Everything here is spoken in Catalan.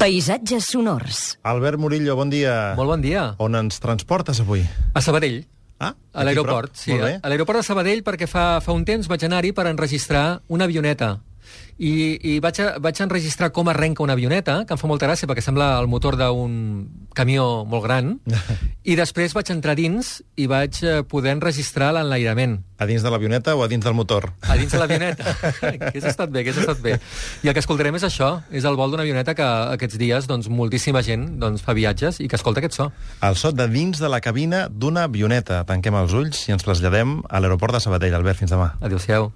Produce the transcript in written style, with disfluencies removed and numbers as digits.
Paisatges sonors. Albert Murillo, bon dia. Molt bon dia. On ens transportes avui? A Sabadell. Ah, a l'aeroport, sí. A l'aeroport de Sabadell, perquè fa un temps vaig anar-hi per enregistrar una avioneta. I vaig enregistrar com arrenca una avioneta, que em fa molta gràcia perquè sembla el motor d'un camió molt gran, i després vaig entrar dins i vaig poder enregistrar l'enlairament. A dins de l'avioneta o a dins del motor? A dins de l'avioneta. Hauria estat bé. I el que escoltarem és això, és el vol d'una avioneta que aquests dies moltíssima gent fa viatges i que escolta aquest so. El so de dins de la cabina d'una avioneta. Tanquem els ulls i ens traslladem a l'aeroport de Sabadell. Albert, fins demà. Adéu-siau.